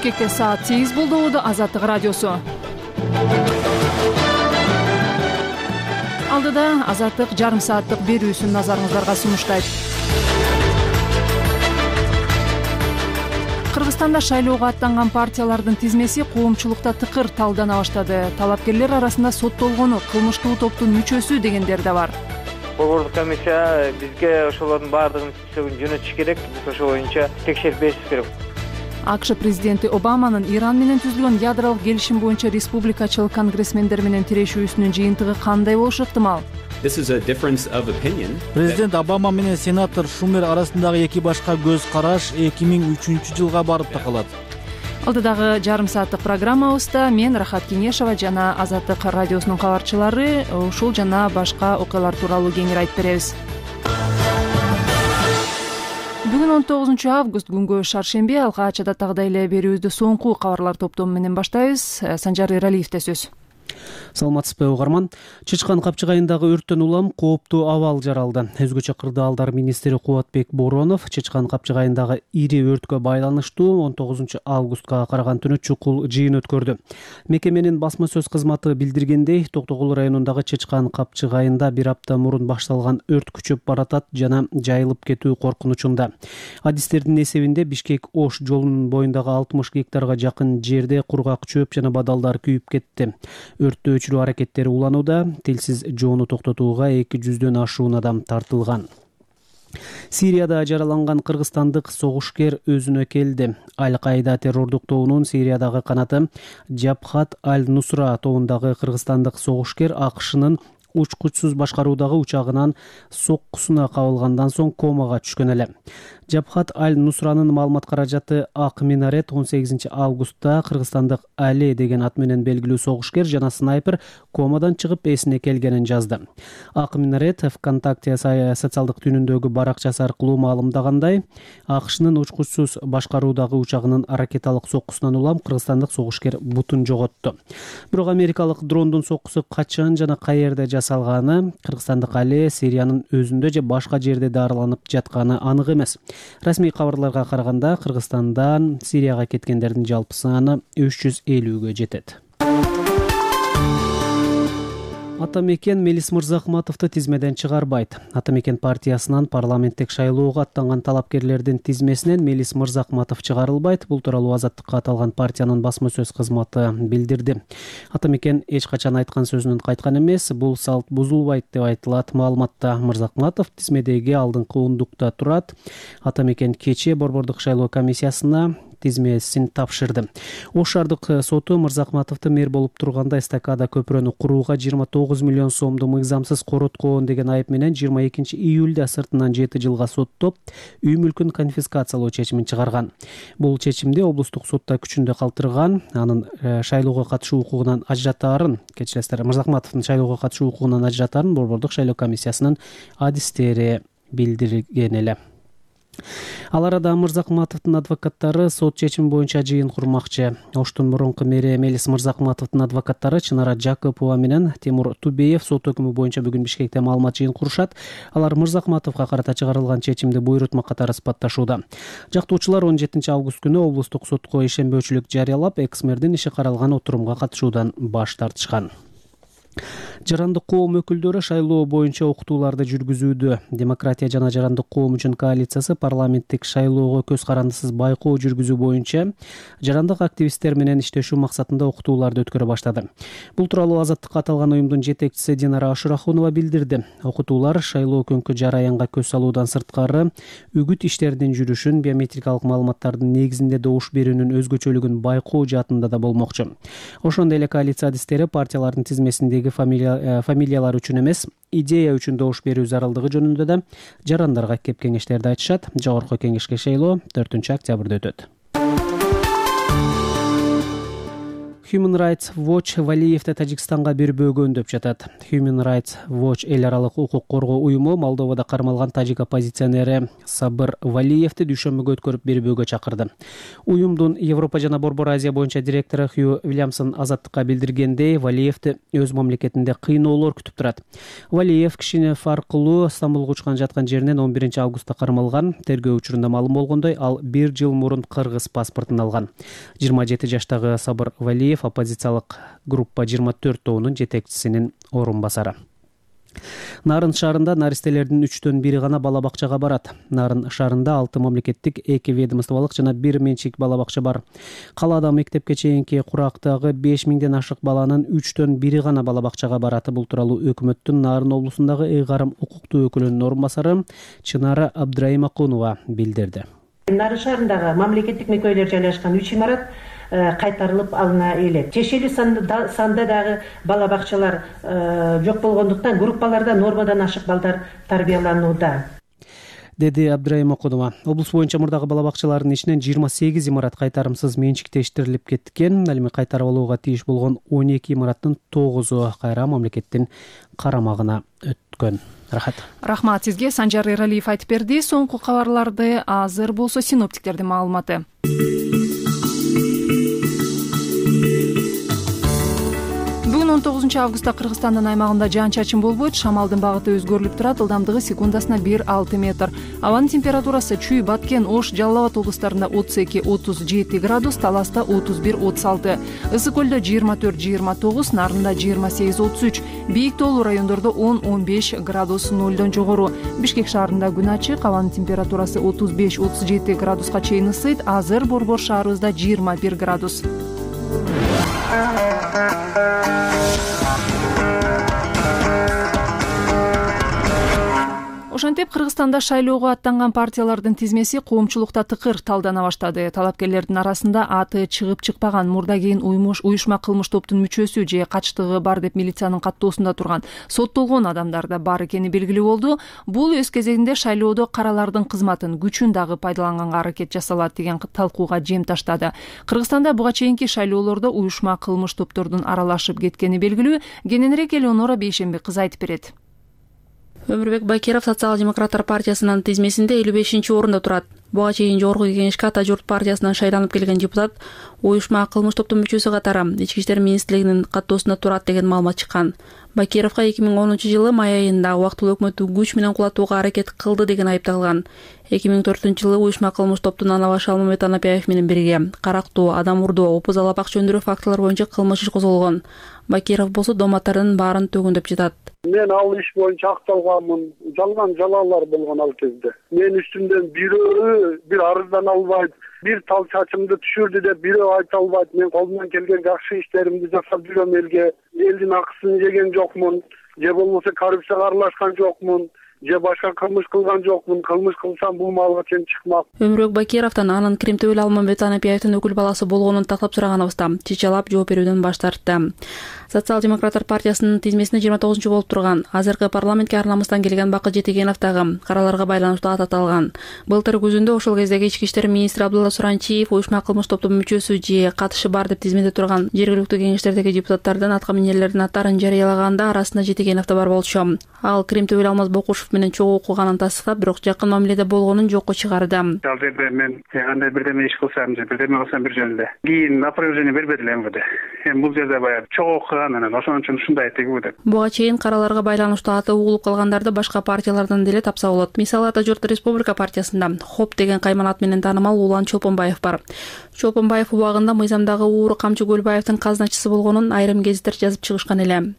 Бишкекте саат 8 болду. Азаттык радиосу. Алдыда Азаттык жарым сааттык берүүсүн назарыңыздарга сунуштайт. Кыргызстанда шайлоого аттанган партиялардын тизмеси коомчулукта тыкыр талдана баштады. Талапкерлер арасында соттолгону кылмыштуу топтун мүчөсү дегендер да бар. Борбордук комиссия бизге ошолордун баардыгын жөнөтүш керек. Биз ошол боюнча текшерип беришибиз керек. АКШ президенти Обаманын Иран менен түзүлгөн ядролук келишим боюнча республикачыл конгрессмендер менен тирешүүсүнүн жыйынтыгы кандай болушу ыктымал? Президент Обама менен сенатор Шумер арасындагы эки башка көз караш 2003 жылга барып такалат. Алдыдагы жарым сааттык программабызда мен Рахат Кенешова жана Азаттык радиосунун кабарчылары ушул жана башка окуялар тууралуу кеңири айтып беребиз. Бүгүн 19 август күнгө шаршемби. Алгач адаттагыдай эле берүүбүздү соңку кабарлар топтому менен баштайбыз. Санжар Эралиевде сөз. Саламатсызбы угарман. Чычкан капчыгайындагы өрттөн улам кооптуу абал жаралды. Өзгөчө кырдаалдар министри Кубатбек Боронов Чычкан капчыгайындагы ири өрткө байланыштуу 19 августка караган түнү чукул жыйын өткөрдү. Мекеменин басма сөз кызматы билдиргендей, Токтогул районундагы Чычкан капчыгайында бир апта мурун башталган өрт күчөп баратат жана жайылып кетүү коркунучунда. Адистердин эсебинде Бишкек-Ош жолунун боюндагы 60 гектарга жакын жерде кургак чөп жана бадалдар күйүп кетти. Өрттү өчүрүү аракеттери уланууда. Тилсиз жоону токтотууга 200дөн ашуун адам тартылган. Сирияда жараланган кыргызстандык согушкер өзүнө келди. Аль-Каида террордук тобунун Сириядагы канаты Джабхат аль-Нусра тобундагы кыргызстандык согушкер АКШнын учкучсуз башкаруудагы учагынан соккусуна кабылгандан соң комага түшкөн эле. Джабхат аль-Нусранын маалымат каражаты Ак Минарет 18 августта кыргызстандык Али деген ат менен белгилүү согушкер жана снайпер комадан чыгып эсине келгенин жазды. Ак Минарет ВКонтакте социалдык түнүндөгү баракчасы аркылуу маалымдагандай, АКШнын учкучсуз башкаруудагы учагынын ракеталык соккусунан улам кыргызстандык согушкер бутун жоготту. Бирок америкалык дрондун соккусу качан жана каерде жасалганы, кыргызстандык Али Сириянын өзүндө же башка жерде дарыланып жатканы анык эмес. Расмий кабарларга караганда Кыргызстандан Сирияга кеткендердин жалпы саны 350гө жетет. Атамекен Мелис Мырзахматовду тизмеден чыгарбайт. Атамекен партиясынан парламенттик шайлоого аттанган талапкерлердин тизмесинен Мелис Мырзахматов чыгарылбайт. Бул тууралуу Азаттыкка аталган партиянын басма сөз кызматы билдирди. Атамекен эч качан айткан сөзүнөн кайткан эмес. Бул салт бузулбайт деп айтылат маалыматта. Мырзахматов тизмедеги алдыңкы ондукта турат. Атамекен кечээ Борбордук шайлоо комиссиясына тизмесин тапшырды. Ош шаардык соту Мырзахматовду мэр болуп турганда эстакада көпүрөнү курууга 29 миллион сомду мыйзамсыз короткон деген айып менен 22 июлда сыртынан 7 жылга соттоп, үй мүлкүн конфискациялоо чечимин чыгарган. Бул чечимди облустук сотта күчүндө калтырган, анын шайлоого катышуу укугунан ажыратаарын, кечиресиздер, Мырзахматовдун шайлоого катышуу укугунан ажыратаарын Борбордук шайлоо комиссиясынын адистери билдирген эле. Ал арада Мырзахматовдун адвокаттары сот чечими боюнча жыйын курмакчы. Оштун мурунку мэри Мелис Мырзахматовдун адвокаттары Чынара Жакупова менен Тимур Тубеев сот өкүмү боюнча бүгүн Бишкекте маалымат жыйын курушат. Алар Мырзахматовго карата чыгарылган чечимди буйрутма катары испатташууда. Жактоочулар 17 август күнү облустук сотко ишенбөөчүлүк жарыялап, экс-мэрдин иши каралган отурумга катышуудан баш тартышкан. Жарандык коом өкүлдөрү шайлоо боюнча окутууларды жүргүзүүдө. Демократия жана жарандык коом үчүн коалициясы парламенттик шайлоого көз карандысыз байкоо жүргүзүү боюнча жарандык активисттер менен иштешүү максатында окутууларды өткөрө баштады. Бул тууралуу Азаттыкка аталган уюмдун жетекчиси Динара Ашурахунова билдирди. Окутуулар шайлоо көңкү жараянга көз салуудан сырткары үгүт иштеринин жүрүшүн, биометрикалык маалыматтардын негизинде добуш берүүнүн өзгөчөлүгүн байкоо жаатында да болмокчу. Ошондой эле коалиция адистери партиялардын тизмесиндеги фамилиялар үчүн эмес, идея үчүн добуш берүү зарылдыгы жөнүндө да жарандарга кеп кеңештерди айтышат. Жогорку кеңешке шайлоо 4 октябрда өтөт. Human Rights Watch Валиевди Тажикстанга бербөөгө үндөп жатат. Human Rights Watch эл аралык укук коргоо уюму Молдовада кармалган тажик оппозиционери Сабыр Валиевди дүйшөмбүгө өткөрүп бербөөгө чакырды. Уюмдун Европа жана Борбор Азия боюнча директору Хью Вильямсон азаттыкка билдиргендей, Валиевди өз мамлекетинде кыйноолор күтүп турат. Валиев Кишинев аркылуу Стамбулга учкан жаткан жеринен 11 августта кармалган. Тергөө учурунда маалым болгондой, ал 1 жыл мурун кыргыз паспортун алган. 27 жаштагы Сабыр Валиев оппозициялык группа 24 тобунун жетекчисинин орун басары. Нарын шаарында наристелердин 3төн 1 гана бала бакчага барат. Нарын шаарында 6 мамлекеттик, 2 ведомстволук жана 1 менчик бала бакча бар. Калаада мектепке чейинки курактагы 5000ден ашык баланын 3төн 1 гана бала бакчага бараты. Бул тууралуу өкмөттүн Нарын облусундагы ыйгарым укуктуу өкүлүнүн орун басары Чынара Абдрайымакунова билдирди. Нарын шаарындагы мамлекеттик мекемелер жайлашкан 3 имарат кайтарылып алына элек. Чечелүү санда дагы бала бакчалар жок болгондуктан группаларда нормадан ашык балдар тарбияланууда, деди Абдрайымакунова. Облус боюнча мурдагы бала бакчалардын ичинен 28 имарат кайтарымсыз менчиктештирилип кеткен. Ал эми кайтарып алууга тийиш болгон 12 имараттын 9-у кайра мамлекеттин карамагына өткөн. Рахмат сизге. Санжар Эралиев айтып берди. Соңку кабарларды азыр болсо синоптиктердин маалыматы. Бүгүн 19 августта Кыргызстандын аймагында жаан-чачын болбойт. Шамалдын багыты өзгөрүлүп турат. Ылдамдыгы секундасына 1-6 метр. Абанын температурасы Чүй, Баткен, Ош, Жалал Абад облустарында 32-37 градус, Таласта 31-36, Ысык көлдө 24-29, Нарында 28-33, бийик тоолуу райондордо 10-15 градус нолдон жогору. Бишкек шаарында күн ачык, абанын температурасы 35-37 градуска чейин ысыйт. Азыр Борбор шаарыбызда 21 градус. Ошентип Кыргызстанда шайлоого аттанган партиялардын тизмеси коомчулукта тыкыр талдана баштады. Талапкерлердин арасында аты чыгып чыкпаган, мурда кийин уюшма кылмыш топтун мүчөсү же качтыгы бар деп милициянын каттоосунда турган соттолгон адамдар да бар экени белгилүү болду. Бул өз кезегинде шайлоодо каралардын кызматын, күчүн дагы пайдаланганга аракет жасалат деген талкууга жем таштады. Кыргызстанда буга чейинки шайлоолордо уюшма кылмыш топтордун аралашып кеткени белгилүү. Кененирээк Элеонора Бейшемби кызы айтып берет. Өмүрбек Бакиров Социал-демократтар партиясынын тизмесинде 55-орунда турат. Буга чейин Жогорку Кеңешке Ата журт партиясынан шайланып келген депутат уюшма кылмыш топтун мүчөсү катары Ички иштер министрлигинин каттоосунда турат деген маалымат чыккан. Бакировго 2010-жылы май айында убактылуу өкмөттү күч менен кулатууга аракет кылды деген айыпталган. 2004-жылы уюшма кылмыш топтун ана башы Алмамет Анапиев менен бирге карактоо, адам урдоо, опуз алапак чөндүрүү фактылары боюнча кылмыш иш козголгон. Бакиров болсо доматтардын баарын төгүндөп жатат. Мен ал иш боюнча акталганмын. Жалган жалалар болгон ал кезде. Мен үстүмдөн бирөө бир арыздан албайт, бир тал чачымды түшүрдү деп бирөө айта албайт. Мен колумдан келген жакшы иштеримди жасап жүрөм элге. Элдин акысын жеген жокмун, же болбосо коррупцияга аралашкан жокмун, же башка кылмыш кылган жокмун. Кылмыш кылсам бул маалга чейин чыкмак. Өмүрбек Бакировдон анын Кримтөбөл Алмамет Анапиевдин өкүл баласы болгонун тактап сураганыбызда чечалап жооп берүүдөн баш тартты. Социал-демократтар партиясынын тизмесине 29 болуп турган азыркы парламентке ар намыстан келген Бакыт Жетегенов дагы караларга байланыштуу ат аталган. Былтыр күзүндө ошол кездеги ички иштер министри Абдулла Суранчиев уюшма кылмыш топтун мүчөсү же катышы бар деп тизмеде турган жергиликтүү кеңештердеги депутаттардын аткаминерлердин аттарын жарыялаганда арасында Жетегенов да бар болчу. Ал Кримтөбөл Алмаз Бокушев менен чогуу окуганын тастыктап, бирок жакын мамиледе болгонун жокко чыгарды. Ал жерде мен кандай бирдеме иш кылсам же бирдеме кылсам бир жөнүндө кийин опровержение бербедиле МВД. Эми бул жерде баягы чогуу анан ошон үчүн ушундай тегүү деп. Буга чейин караларга байланыштуу аты угулуп калгандарды башка партиялардан деле тапса болот. Мисалы Ата журт Республика партиясында ХОП деген кайман менен таанымал Улан Чолпонбаев бар. Чолпонбаев убагында мыйзамдагы Ууру Камчы Көлбаевдин казначысы болгонун айрым гезиттер жазып чыгышкан эле.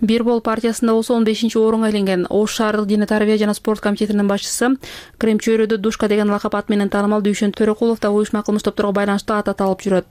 Бир бол партиясында болсо 15-орунга илинген Ош шаардык дене тарбия жана спорт комитетинин башчысы Крем чөйрөдө Душка деген лакап ат менен таанымал Дүйшөн Төрөкулов да уюшма кылмыш топторго байланыштуу ат аталып жүрөт.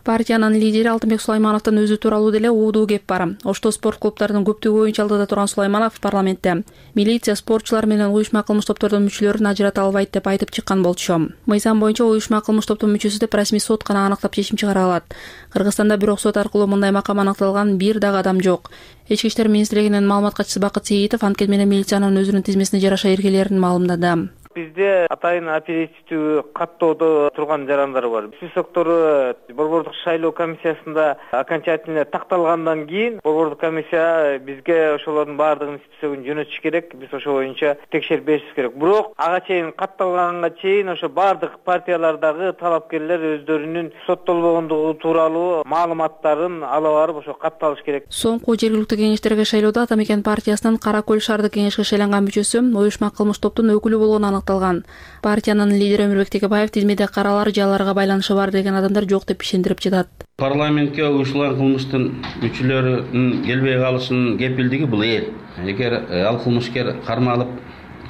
Партиянын лидери Алтынбек Сулаймановдун өзү тууралуу деле уудуу кеп бар. Ошто спорт клубтарынын көптүгү боюнча алдыда турган Сулайманов парламентте милиция спортчулар менен уюшма кылмыш топтордун мүчөлөрүн ажырата албайт деп айтып чыккан болчу. Мыйзам боюнча уюшма кылмыш топтун мүчөсү деп расмий сот гана аныктап чечим чыгара алат. Кыргызстанда бирок сот аркылуу мындай макам аныкталган бир дагы адам жок. Ички иштер министрлигинин маалымат катчысы Бакыт Сейитов анткени менен милициянын өзүнүн тизмесине жараша эргелерин маалымдады. Бизде атайын оперативдүү каттоодо турган жарандар бар. Списоктору борбордук шайлоо комиссиясында окончательно такталгандан кийин борбордук комиссия бизге ошолордун баардыгынын списогун жөнөтүш керек. Биз ошол боюнча текшерип беришибиз керек. Бирок ага чейин катталганга чейин ошо баардык партиялардагы талапкерлер өздөрүнүн соттолбогондугу тууралуу маалыматтарын ала барып ошо катталыш керек. Соңку жергиликтүү кеңештерге шайлоодо Ата Мекен партиясынын Кара Көл шаардык кеңешке шайланган мүчөсү уюшма кылмыш топтун өкүлү болгону аныкталган. Партиянын лидери Өмүрбек Текебаев тизмеде каралар же аларга байланышы бар деген адамдар жок деп ишендирип жатат. Парламентке уюштурулган кылмыштын мүчөлөрүнүн келбей калышынын кепилдиги бул эл. Эгер ал кылмышкер кармалып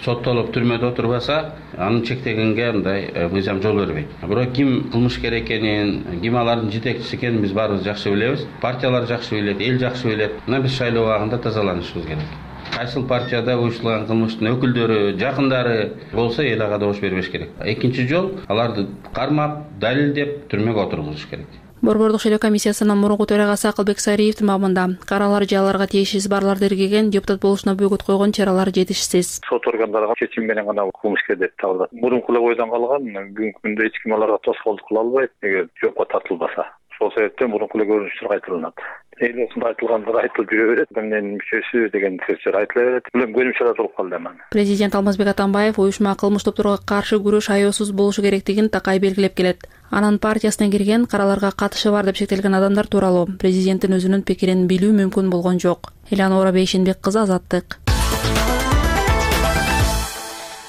соттолуп түрмөдө отурбаса, аны чектегенге мындай мыйзам жол бербейт. Бирок ким кылмышкер экенин, ким алардын жетекчиси экенин биз баарыбыз жакшы билебиз. Партиялар жакшы билет, эл жакшы билет. Мына биз шайлоо убагында тазаланышыбыз керек. Кайсыл партияда уюштурулган кылмыштын өкүлдөрү, жакындары болсо эл ага добуш бербеш керек. Экинчи жол аларды кармап, далилдеп түрмөгө отургузуш керек. Борбордук шайлоо комиссиясынын мурунку төрагасы Акылбек Сариевдин маамында каралар же аларга тиешеси барларды иргеген депутат болушуна бөгөт койгон чаралар жетишсиз. Сот органдары чечим менен гана кылмышкер деп табылат. Мурунку эле ойдон калган, бүгүнкү күндө эч ким аларга тоскоолдук кыла албайт, эгер жокко тартылбаса. Ошол себептен мурунку эле көрүнүштөр кайтарылат. Эл осундай айтылгандар айтылып жүрө берет. Эмненин мүчөсү деген сөздөр айтыла берет. Билем көрүнүштөр болуп калды анан. Президент Алмазбек Атамбаев уюшма кылмыш топторго каршы күрөш аяосуз болушу керектигин такай белгилеп келет. Анын партиясына кирген караларга катышы бар деп шектелген адамдар тууралуу президенттин өзүнүн пикирин билүү мүмкүн болгон жок. Эланора Бейшенбек кызы, Азаттык.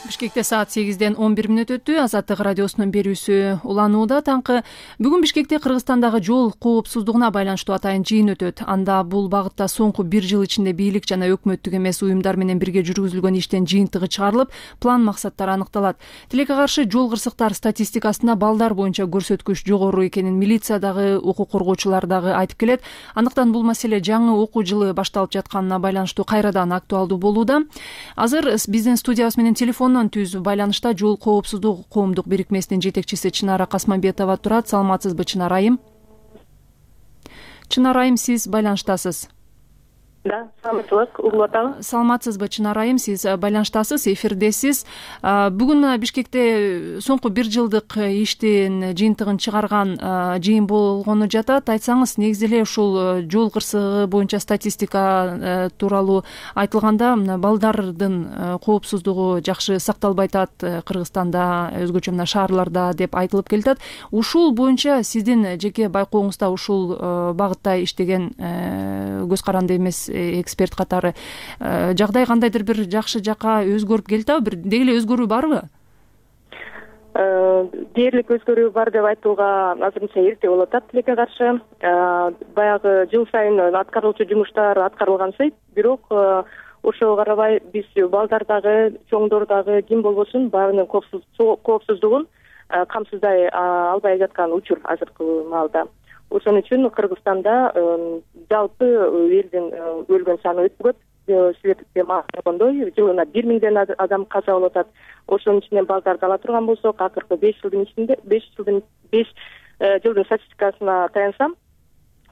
Бишкекте саат 8-ден 11 мүнөт өттү. Азаттык радиосунун берүүсү уланууда. Таңкы бүгүн Бишкекте Кыргызстандагы жол коопсуздугуна байланыштуу атайын жыйын өтөт. Анда бул багытта соңку 1 жыл ичинде бийлик жана өкмөттүк эмес уюмдар менен бирге жүргүзүлгөн иштин жыйынтыгы чыгарылып, план максаттары аныкталат. Тилекке каршы жол кырсыктар статистикасында балдар боюнча көрсөткүч жогору экенин милициядагы, укук коргоочулар дагы айтып келет. Андыктан бул маселе жаңы окуу жылы башталып жатканына байланыштуу кайрадан актуалдуу болууда. Азыр биздин студиябыз менен телефондон түз байланышта жол коопсуздук коомдук бирикмесинин жетекчиси Чынара Касманбетова турат. Саламатсызбы, Чынара айым? Чынара айым, сиз байланыштасыз? Да, саламатсызбы, угулуп атабы. Саламатсызбы, Чынара айым, сиз байланыштасыз, эфирдесиз. Бүгүн Бишкекте соңку 1 жылдык иштин жыйынтыгын чыгарган жыйын болгону жатат. Айтсаңыз, негизи эле ушул жол кырсыгы боюнча статистика тууралуу айтылганда балдардын коопсуздугу жакшы сакталбай атат Кыргызстанда, өзгөчө мына шаарларда деп айтылып келатат. Ушул боюнча сиздин жеке байкооңузда ушул багытта иштеген көз каранды эмес эксперт катары жагдай кандайдыр бир жакшы жакка өзгөрүп келатабы? Бир деги эле өзгөрүү барбы? Дээрлик өзгөрүү бар деп айтууга азырынча эрте болуп атат. Тилекке каршы баягы жыл сайын аткарылчу жумуштар аткарылгансый, бирок ошого карабай биз балдардагы, чоңдордагы ким болбосун баарынын коопсуздугун камсыздай албай жаткан учур азыркы маалда. Ошон үчүн Кыргызстанда жалпы элдин өлгөн саны өтө көп. Силерге маалымдагандай, жылына 1000ден адам каза болуп атат. Ошонун ичинен балдарды ала турган болсок, акыркы 5 жылдын ичинде 5 жылдын статистикасына таянсам,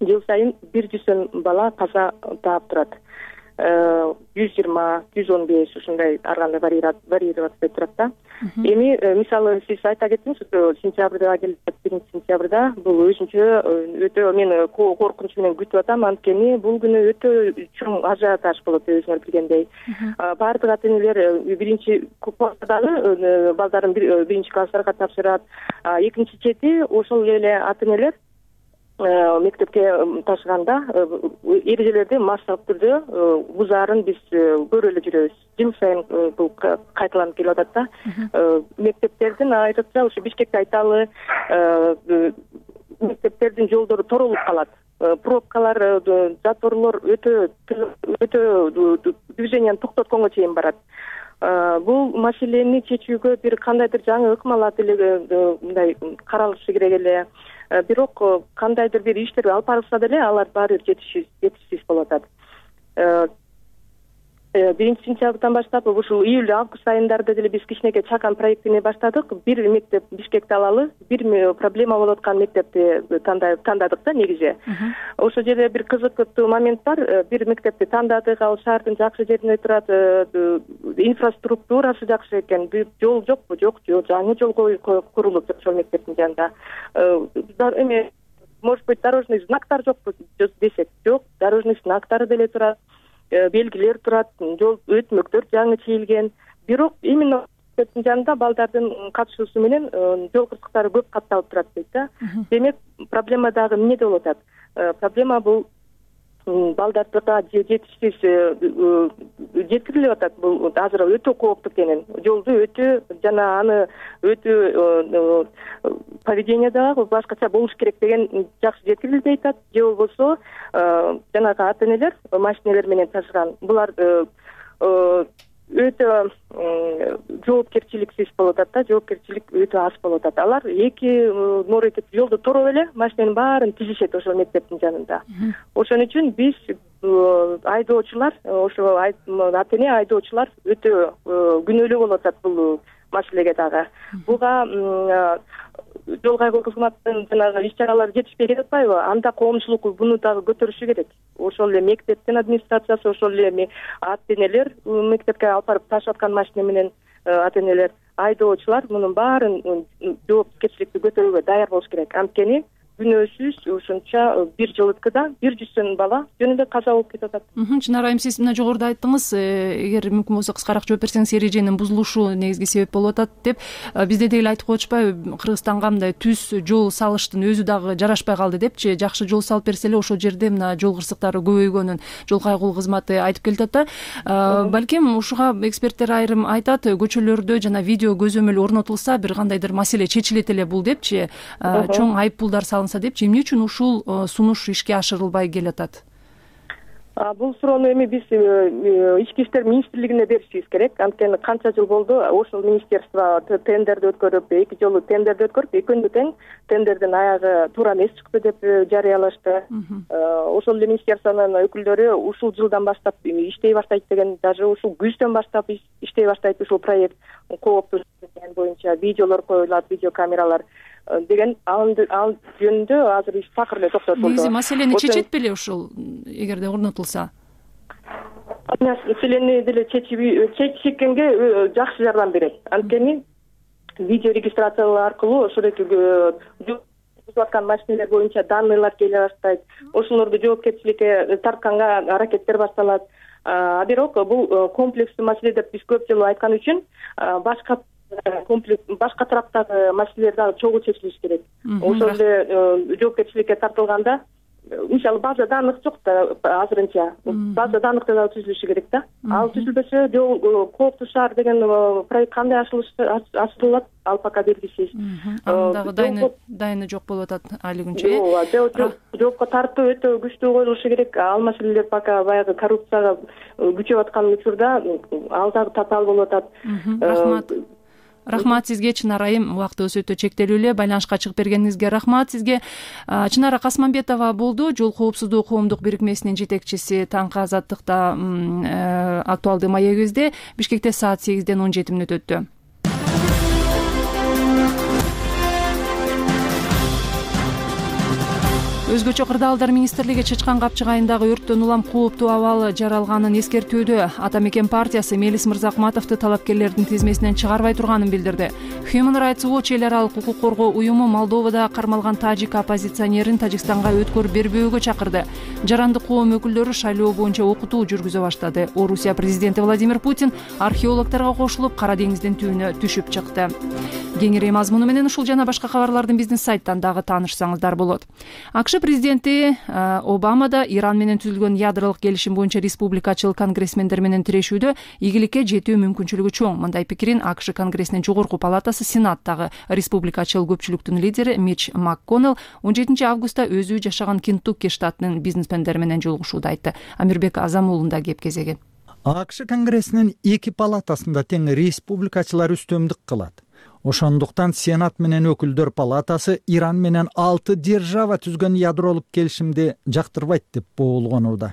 жыл сайын 100 бала каза таап турат. 120, 115 ушундай ар кандай варьироваться этип турат да. Эми мисалы сиз айта кеттиңиз, сентябрда келет, 1-сентябрда бул өзүнчө өтө мен коркунуч менен күтүп атам, анткени бул күнү өтө чоң ажиотаж болот, өзүңөр билгендей. Баардык ата-энелер биринчи класстагы балдарын биринчи класстарга тапшырат. Экинчи чети ошол эле ата-энелер мектепке ташыганда эрежелерди массалык түрдө бузаарын биз көрүп эле жүрөбүз. Жыл сайын бул кайталанып келип атат да. Мектептердин айрыкча ушу Бишкекте айталы, мектептердин жолдору торолуп калат. Пробкалар, заторлор өтө движенияны токтотконго чейин барат. Бул маселени чечүүгө бир кандайдыр жаңы ыкмалар мындай каралышы керек эле. Бирок кандайдыр бир иштер алып барылса деле алар баары жетишсиз болуп атат. 1 сентябрдан баштап ушул июль август айындарда деле биз кичинекей чакан проектини баштадык. Бир мектеп Бишкекте алалы, бир проблема болуп аткан мектепти тандадык да негизи. Ошол жерде бир кызыктуу момент бар. Бир мектепти тандадык, ал шаардын жакшы жеринде турат, инфраструктурасы жакшы экен. Жол жокпу? Жок, жаңы жол курулуп ошол мектептин жанында. Эме, может быть, дорожный знактар жокпу десек, жок, дорожный знактары деле турат. Белгилер турат, жол өтмөктөр жаңы чийилген. Бирок именно мектептин жанында балдардын катышуусу менен жол кырсыктары көп катталып турат дейт да. Демек, проблема дагы эмнеде болуп атат? Проблема бул балдарга жетишсиз жеткирилип атат. Бул азыр өтө кооптуу экенин. Жолду өтө жана аны өтө поведение дагы башкача болуш керек деген жакшы жеткирилбей атат. Же болбосо жанагы ата-энелер машиналар менен ташыган. Булар өтө жоопкерчиликсиз болуп атат да, жоопкерчилик өтө аз болуп атат. Алар эки морекет жолду тороп эле машинанын баарын тизишет ошол мектептин жанында. Ошон үчүн биз айдоочулар, ошо ата-эне айдоочулар өтө күнөөлүү болуп атат бул маселеге дагы. Буга жол кайгоо кызматынын жанагы иш-чаралары жетишпей жатпайбы? Анда коомчулук буну дагы көтөрүшү керек. Ошол эле мектептин администрациясы, ошол эле ата-энелер, мектепке алып барып ташып аткан машина менен ата-энелер, айдоочулар мунун баарын жоопкерчиликти көтөрүүгө даяр болуш керек. Анткени күнөөсүз ушунча бир жылыткыда 100 бала жөн эле каза болуп кетип атат. Чынар айым, сиз мына жогоруда айттыңыз, эгер мүмкүн болсо кыскараак жооп берсеңиз, эреженин бузулушу негизги себеп болуп атат деп. Бизде деле айтып коечпайбы, Кыргызстанга мындай түз жол салыштын өзү дагы жарашпай калды депчи. Жакшы жол салып берсе эле ошол жерде мына жол кырсыктары көбөйгөнүн жол кайгоо кызматы айтып келатат да. Балким ушуга эксперттер айрым айтат, көчөлөрдө жана видео көзөмөл орнотулса бир кандайдыр маселе чечилет эле бул депчи. Чоң айып пулдар депчи, эмне үчүн ушул сунуш ишке ашырылбай келатат? Бул суроону эми биз Ички иштер министрлигине беришибиз керек. Анткени канча жыл болду ошол министерство тендерди өткөрүп, 2 жолу тендерди өткөрүп, экөөнү тең тендердин аягы туура эмес чыкты деп жарыялашты. Ошол эле министерствонун өкүлдөрү ушул жылдан баштап иштей баштайт деген, даже ушул күздөн баштап иштей баштайт ушул проект, кооптуу боюнча видеолор коюлат, видеокамералар деген ал жөнүндө азыр иш такыр эле токтотулду. Негизи маселени чечет беле ушул, эгерде орнотулса? Маселени деле чечкенге жакшы жардам берет. Анткени видео регистрациялоо аркылуу ошол аткан машиналар боюнча данныйлар келе баштайт. Ошолорду жоопкерчиликке тартканга аракеттер башталат. Бирок бул комплекстүү маселе деп биз көп жолу айткан үчүн башка тараптагы маселелер дагы чогуу чечилиш керек. Ошол эле жоопкерчиликке тартылганда, мисалы база данных жок да азырынча. База данныхты дагы түзүлүшү керек да. Ал түзүлбөсө кооптуу шаар деген проект кандай ачылат, ал пока белгисиз. Дагы дайыны жок болуп атат али күнчө. Жоопко тартуу өтө күчтүү коюлушу керек. Ал маселелер пока баягы коррупцияга күчөп аткан учурда ал дагы татаал болуп атат. Рахмат сизге, Чынар айым. Убактыбыз өтө чектелүү эле. Байланышка чыгып бергениңизге рахмат сизге. Чынара Касманбетова болду, жол коопсуздугу коомдук бирикмесинин жетекчиси. Таңкы азаттыкта актуалдуу маегибизде. Бишкекте саат 8-ден 17 мүнөт өттү. Өзгөчө кырдаалдар министрлиги Чычкан Капчык айындагы өрттөн улам кооптуу абал жаралганын эскертүүдө. Ата Мекен партиясы Мелис Мырзахматовду талапкерлердин тизмесинен чыгарбай турганын билдирди. Human Rights Watch эл аралык укук коргоо уюму Молдовада кармалган тажик оппозиционерин Тажикстанга өткөрүп бербөөгө чакырды. Жарандык коом өкүлдөрү шайлоо боюнча окутуу жүргүзө баштады. Орусия президенти Владимир Путин археологторго кошулуп Кара деңиздин түбүнө түшүп чыкты. Кеңири мазмуну менен ушул жана башка кабарлардын биздин сайттан дагы таанышсаңыздар болот. АКШ президенти Обама да Иран менен түзүлгөн ядролук келишим боюнча республикачыл конгрессмендер менен тирешүүдө ийгиликке жетүү мүмкүнчүлүгү чоң. Мындай пикирин АКШ конгрессинин жогорку палатасы Сенаттагы республикачыл көпчүлүктүн лидери Мич МакКоннелл 17 августта өзү жашаган Кентукки штатынын бизнесмендери менен жолугушууда айтты. Амирбек Азамуулунда кеп кезеги. АКШ конгрессинин 2 палатасында тең республикачылар үстөмдүк кылат. Ошондуктан Сенат менен өкүлдөр палатасы Иран менен 6 держава түзгөн ядролук келишимди жактырбайт деп боолгонууда.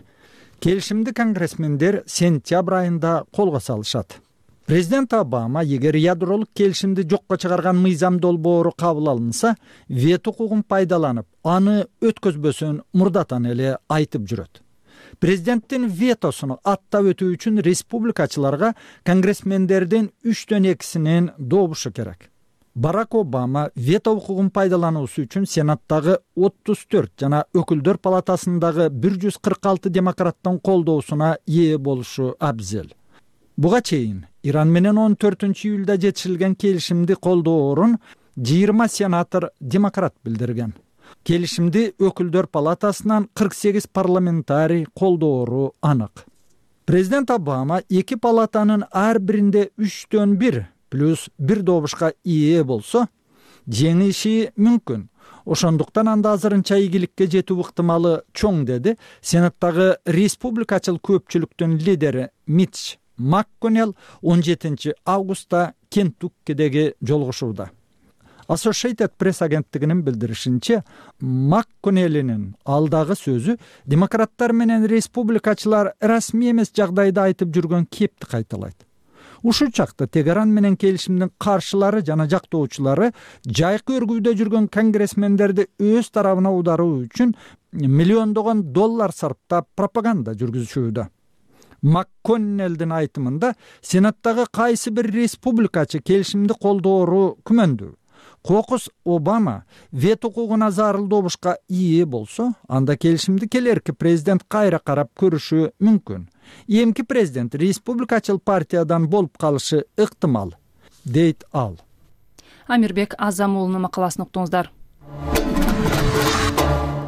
Келишимди конгрессмендер сентябрь айында колго салышат. Президент Обама эгер ядролук келишимди жокко чыгарган мыйзам долбоору кабыл алынса, вето укугун пайдаланып, аны өткөзбөсүн мурдатан эле айтып жүрөт. Президенттин ветосуну аттап өтүү үчүн республикачыларга конгрессмендердин 3/2 добушу керек. Барак Обама вето укугун пайдалануусу үчүн Сенаттагы 34 жана Өкүлдөр палатасындагы 146 демократтын колдоосуна ээ болушу абзел. Буга чейин Иран менен 14-июлда жетишилген келишимди колдоорун 20 сенатор демократ билдирген. Келишимди Өкүлдөр палатасынан 48 парламентарий колдоору анык. Президент Обама эки палатанын ар биринде 3/1 плюс 1 добушка ээ болсо, жеңиши мүмкүн. Ошондуктан анда азырынча ийгиликке жетүү ыктымалы чоң, деди Сенаттагы республикачыл көпчүлүктүн лидери Митч МакКоннелл 17 августта Кентуккидеги жолугушууда. Associated Press агенттигинин билдиришинче, МакКоннеллинин алдагы сөзү демократтар менен республикачылар расмий эмес жагдайда айтып жүргөн кепти кайталайт. Ушул чакта Тегеран менен келишимдин каршылары жана жактоочулары жайкы өргүүдө жүргөн конгрессмендерди өз тарабына ударуу үчүн миллиондогон доллар сарптап пропаганда жүргүзүшүүдө. МакКоннеллдин айтымында, Сенаттагы кайсы бир республикачы келишимди колдоору күмөндүү. Кокус Обама вето укугуна зарыл добушка ээ болсо, анда келишимди келерки президент кайра карап көрүшү мүмкүн. Эмки президент республикачыл партиядан болуп калышы ыктымал, дейт ал. Амирбек Азамуулунун макаласын уктуңуздар.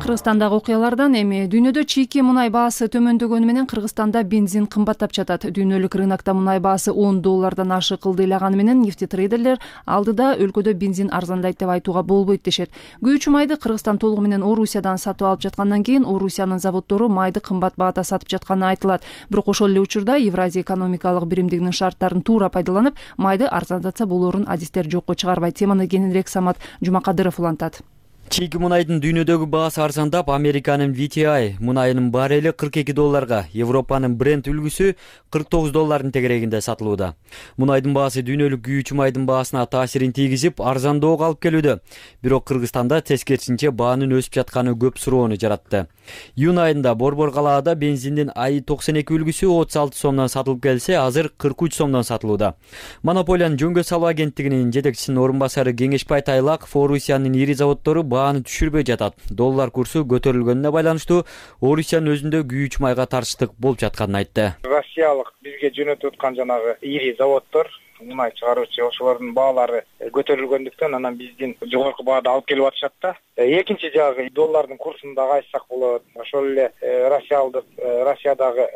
Кыргызстандагы окуялардан эми дүйнөдө чийки мунай баасы төмөндөгөнү менен Кыргызстанда бензин кымбаттап жатат. Дүйнөлүк рынокто мунай баасы $10 ашык кылдыйлаганы менен нефтетрейдерлер алдыда өлкөдө бензин арзандайт деп айтууга болбойт дешет. Күйүүчү майды Кыргызстан толугу менен Орусиядан сатып алып жаткандан кийин Орусиянын заводдору майды кымбат баада сатып жатканы айтылат. Бирок ошол эле учурда Евразия экономикалык биримдигинин шарттарын туура пайдаланып, майды арзандатса болоорун адистер жокко чыгарбайт. Теманы кененирээк Самат Жумакадыров улантат. Чийки мунайдын дүйнөдөгү баасы арзандап, Американын VTI мунайынын барели $42, Европанын Brent үлгүсү $49 тегерегинде сатылууда. Мунайдын баасы дүйнөлүк күйүүчү майдын баасына таасирин тийгизип, арзандоого алып келүүдө. Бирок Кыргызстанда тескерисинче баанын өсүп жатканы көп суроону жаратты. Июнь айында Борбор калаада бензиндин АИ-92 үлгүсү 36 сомдон сатылып келсе, азыр 43 сомдон сатылууда. Монополиянын жөнгө салуу агенттигинин жетекчисинин орун басары Кеңешбай Тайлаков Орусиянын ири заводдору бааны түшүрбөй жатат. Доллар курсу көтөрүлгөнүнө байланыштуу Орусиянын өзүндө күйүүчү майга тарчтык болуп жатканын айтты. Россиялык бизге жөнөтүп аткан жанагы ири заводдор, мунай чыгаруучу, ошолордун баалары көтөрүлгөндүктөн анан биздин жогорку баада алып келип атышат да. Экинчи жагы доллардын курсун да айтсак болот. Ошол эле Россиядагы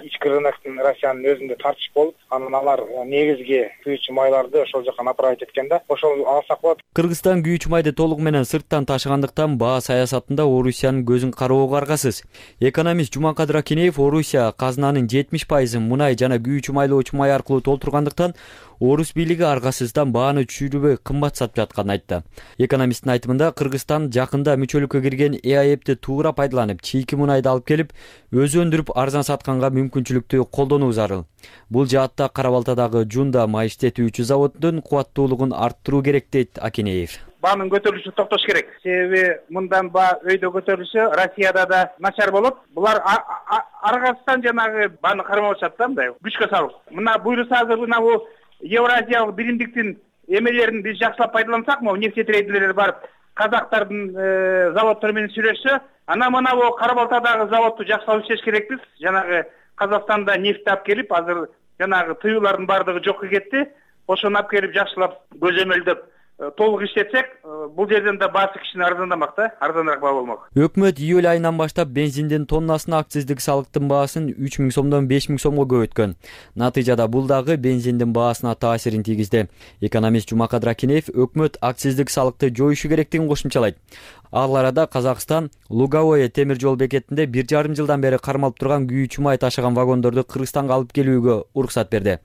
ички рыноктун Россиянын өзүндө тартыш болуп, анан алар негизги күйүүчү майларды ошол жака направить эткен да. Ошол алсак болот. Кыргызстан күйүүчү майды толугу менен сырттан ташыгандыктан баа саясатында Орусиянын көзүн кароого аргасыз. Экономист Жумакадыр Акинеев Орусия казынанын 70% мунай жана күйүүчү майлоочу май аркылуу толтургандыктан Орус бийлиги аргасыздан бааны түшүрбөй кымбат сатып жатканын айтты. Экономисттин айтымында Кыргызстан жакында мүчөлүккө кирген ЭАЭПти туура пайдаланып, чийки мунайды алып келип, өзү өндүрүп арзан сатканга мүмкүнчүлүктү колдонуу зарыл. Бул жаатта Кара Балтадагы Жунда май иштетүүчү заводдун кубаттуулугун арттыруу керек, дейт Акинеев. Баанын көтөрүлүшү токтош керек. Себеби мындан баа өйдө көтөрүлсө Россияда да начар болот. Булар аргасыздан жанагы бааны кармап атышат да, мындай күчкө салып. Мына буйруса азыр мына бул Евразиялык биримдиктин эмелерин биз жакшылап пайдалансак, могу нефтетрейдерлер барып казактардын заводдору менен сүйлөшсө, анан мына бул Кара Балтадагы заводду жакшылап иштеш керекпиз. Жанагы Казакстанда нефт алып келип, азыр жанагы тыюулардын бардыгы жокко кетти. Ошону алып келип жакшылап көзөмөлдөп толук иштетсек, бул жерден да баасы кичине арзандамак да, арзаныраак баа болмок. Өкмөт июль айынан баштап бензиндин тоннасына акциздик салыктын баасын 3000 сомдон 5000 сомго көбөйткөн. Натыйжада бул дагы бензиндин баасына таасирин тийгизди. Экономист Жумакадыр Акинеев өкмөт акциздик салыкты жоюшу керектигин кошумчалайт. Ал арада Казакстан Луговое темир жол бекетинде 1,5 жылдан бери кармалып турган күйүүчү май ташыган вагондорду Кыргызстанга алып келүүгө уруксат берди.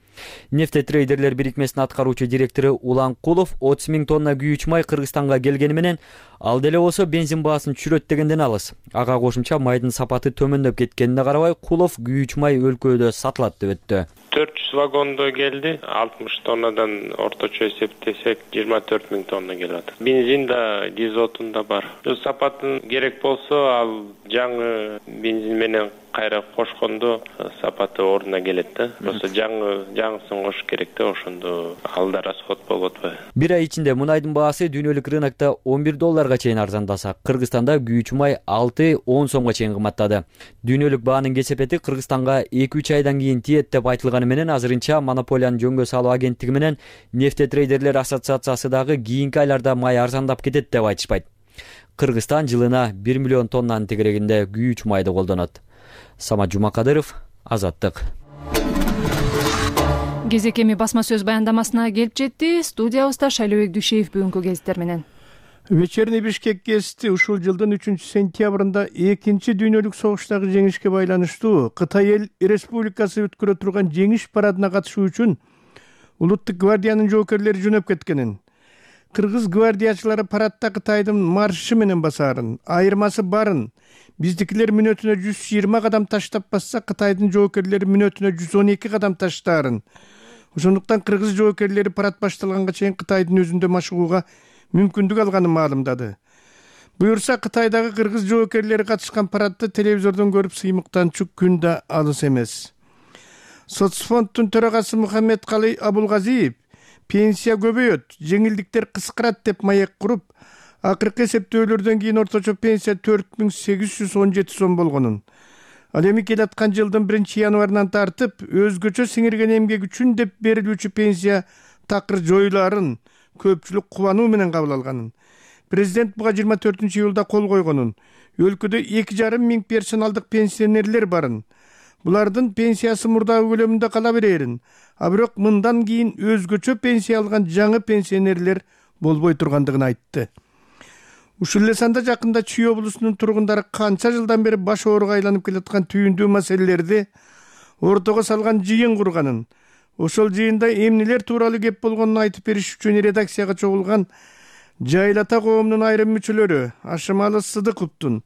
Нефтетрейдерлер бирикмесинин аткаруучу директору Улан Кулов 30 000 тонна күйүүчү май Кыргызстанга келгени менен ал деле болсо бензин баасын түшүрөт дегенден алыс. Ага кошумча майдын сапаты төмөндөп кеткенине карабай Кулов күйүүчү май өлкөдө сатылат деп өттү. 400 вагондо келди. 60 тоннадан орточо эсептесек 24 000 тонна келип атат. Бензин да, дизотун да бар. Сапатын керек болсо ал жаңы бензин менен кайра кошкондо сапаты ордуна келет да. Просто жаңысын кош керек да, ошондо ал да расход болуп атпайбы. Бир ай ичинде мунайдын баасы дүйнөлүк рынокто $11 чейин арзандаса, Кыргызстанда күйүүчү май 6-10 сомго чейин кымбаттады. Дүйнөлүк баанын кесепети Кыргызстанга 2-3 айдан кийин тиет деп айтылганы менен азырынча монополияны жөнгө салуу агенттиги менен Нефтетрейдерлер ассоциациясы дагы кийинки айларда май арзандап кетет деп айтышпайт. Кыргызстан жылына 1 миллион тоннанын тегерегинде күйүүчү майды колдонот. Самат Жумакадыров, Азаттык. Кезек эми басма сөз баяндамасына келип жетти. Студиябызда Шайлообек Дүйшеев бүгүнкү гезиттер менен. Вечерний Бишкек гезити ушул жылдын 3-сентябрында 2-чи дүйнөлүк согуштагы жеңишке байланыштуу Кытай Эл Республикасы өткөрө турган жеңиш парадына катышуу үчүн Улуттук гвардиянын жоокерлери жөнөп кеткенин, кыргыз гвардиячылары парадда Кытайдын маршы менен басаарын, айырмасы барын, биздикилер мүнөтүнө 120 кадам таштап басса, Кытайдын жоокерлери мүнөтүнө 112 кадам таштаарын. Ошондуктан кыргыз жоокерлери парад башталганга чейин Кытайдын өзүндө машыгууга мүмкүндүк алганын маалымдады. Буюрса, Кытайдагы кыргыз жоокерлери катышкан парадты телевизордон көрүп сыймыктанчу күн да алыс эмес. Соцфонддун төрагасы Мухаммед Калый Абулгазиев пенсия көбөйөт, жеңилдиктер кыскарат деп маек куруп, акыркы эсептөөлөрдөн кийин орточо пенсия 4817 сом болгонун. Ал эми келаткан жылдын 1-январынан тартып, өзгөчө сиңирген эмгек үчүн деп берилүүчү пенсия такыр жоюларын көпчүлүк кубануу менен кабыл алганын. Президент буга 24-июлда кол койгонун. Өлкөдө 2,5 миң персоналдык пенсионерлер барын. Булардын пенсиясы мурдагы көлөмүндө кала берерин. А бирок мындан кийин өзгөчө пенсия алган жаңы пенсионерлер болбой тургандыгын айтты. Ушул эле санда жакында Чүй облусунун тургундары канча жылдан бери баш ооруга айланып келаткан түйүндүү маселелерди ортого салган жыйын курганын, ошол жыйында эмнелер тууралуу кеп болгонун айтып бериш үчүн редакцияга чогулган Жайлата коомунун айрым мүчөлөрү Ашымалы Сыдыковдун,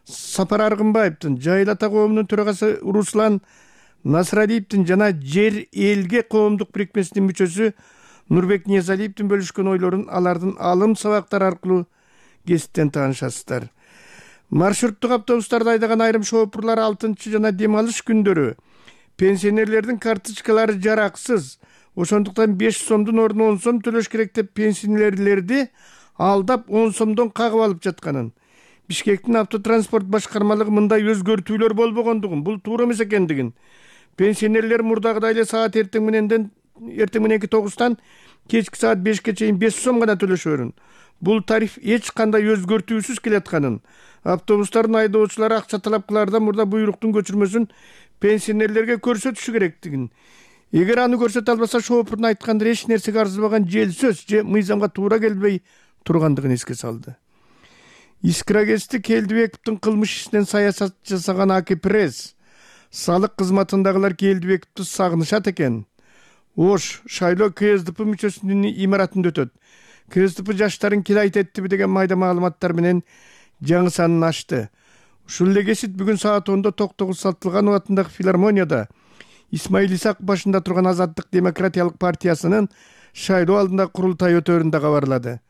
Сапар Аргынбаевдин, Жайлата коомунун төрагасы Руслан Насрадиевдин жана Жер элге коомдук бирикмесинин мүчөсү Нурбек Ниязалиевдин бөлүшкөн ойлорун алардын алым сабактары аркылуу гезиттен таанышасыздар. Маршруттук автобустарда айдаган айрым шоопурлар 6-чы жана дем алыш күндөрү пенсионерлердин карточкалары жараксыз, ошондуктан 5 сомдун ордуна 10 сом төлөш керек деп пенсионерлерди алдап 10 сомдон кагып алып жатканын, Бишкектин автотранспорт башкармалыгы мындай өзгөртүүлөр болбогондугун, бул туура эмес экендигин, пенсионерлер мурдагыдай эле саат эртең мененки 9-тан кечки саат 5-ке чейин 5 сом гана төлөшөрүн. Бул тариф эч кандай өзгөртүүсүз келатканын, автобустардын айдоочулары акча талапкылардан мурда буйруктун көчүрмөсүн пенсионерлерге көрсөтүшү керектигин, эгер аны көрсөтө албаса шоопурдун айткандары эч нерсеге арзыбаган жел сөз же мыйзамга туура келбей тургандыгын эске салды. Искра гезити Келдибековдун кылмыш ишинен саясат жасаган Аки Пресс, салык кызматындагылар Келдибековду сагынышат экен. Ош шайлоо КСДП мүчөсүнүн имаратында өтөт. КСДП жаштарын килайт эттиби деген майда маалыматтар менен жаңы санын ачты. Ушул эле гезит бүгүн саат 10-да Токтогул Сатылганов атындагы филармонияда Исмаил Исак башында турган Азаттык демократиялык партиясынын шайлоо алдындагы курултай өтөрүндө кабарлады.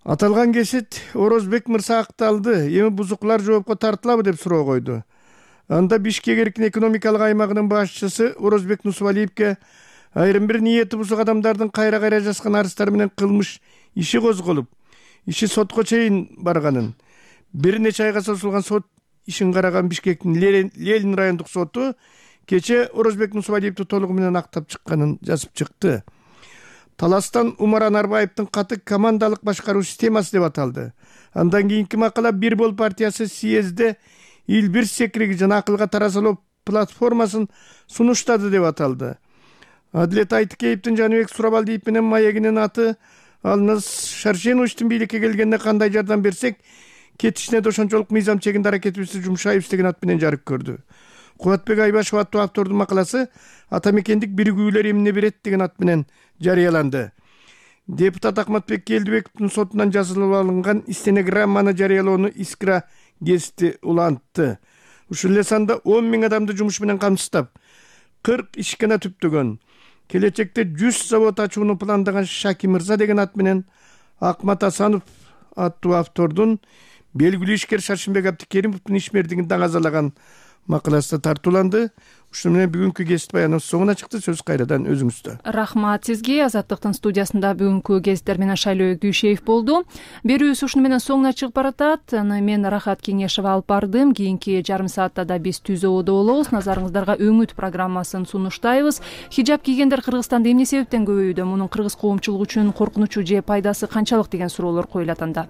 Аталган гезит Орозбек мырза акталды, эми бузукулар жоопко тартылабы деп суроо койду. Анда Бишкек эркин экономикалык аймагынын башчысы Орозбек Нусвалиевке айрым бир ниети бузук адамдардын кайра жазган арыздары менен кылмыш иши козголуп, иши сотко чейин барганын, бир нече айга созулган сот ишин караган Бишкектин Ленин райондук соту кече Орозбек Нусвалиевди толугу менен актап чыкканын жазып чыкты. Таластан Умар Анарбаевдин каты командалык башкаруу системасы деп аталды. Андан кийинки макала Бир бол партиясы съезде ил бир секириги жана акылга таразалоо платформасын сунуштады деп аталды. Адилет Айтыкеевдин Жаныбек Сурабалдиев менен маегинин аты ал Шаршеновичтин бийликке келгенде кандай жардам берсек кетишине да ошончолук мыйзам чегинде аракетибизди жумшайбыз деген ат менен жарык көрдү. Кубатбек Айбашев аттуу автордун макаласы атамекендик биригүүлөр эмне берет деген ат менен жарыяланды. Депутат Акматбек Келдибековдун сотунан жазылып алынган стенограмманы жарыялоону Искра гезити улантты. Ушул эле санда 10 000 адамды жумуш менен камсыздап, 40 ишкана түптөгөн, келечекте 100 завод ачууну пландаган Шаки Мырза деген ат менен Акмат Асанов аттуу автордун белгилүү ишкер Шаршенбек Абдикеримовдун ишмердигин даңазалаган макаласы тартууланды. Ушуну менен бүгүнкү гезит баяныбыз соңуна чыкты. Сөз кайрадан өзүңүздө. Рахмат сизге. Азаттыктын студиясында бүгүнкү гезиттер менен Шайлоо Күйшеев болду. Берүүбүз ушуну менен соңуна чыгып баратат. Мен Рахат Кеңешева алып бардым. Кийинки жарым саатта да биз Түз абада болобуз. Назарыңыздарга Өңүт программасын сунуштайбыз. Хижаб кийгендер Кыргызстанда эмне себептен көбөйүүдө? Мунун кыргыз коомчулугу үчүн коркунучу же пайдасы канчалык деген суроолор коюлат анда.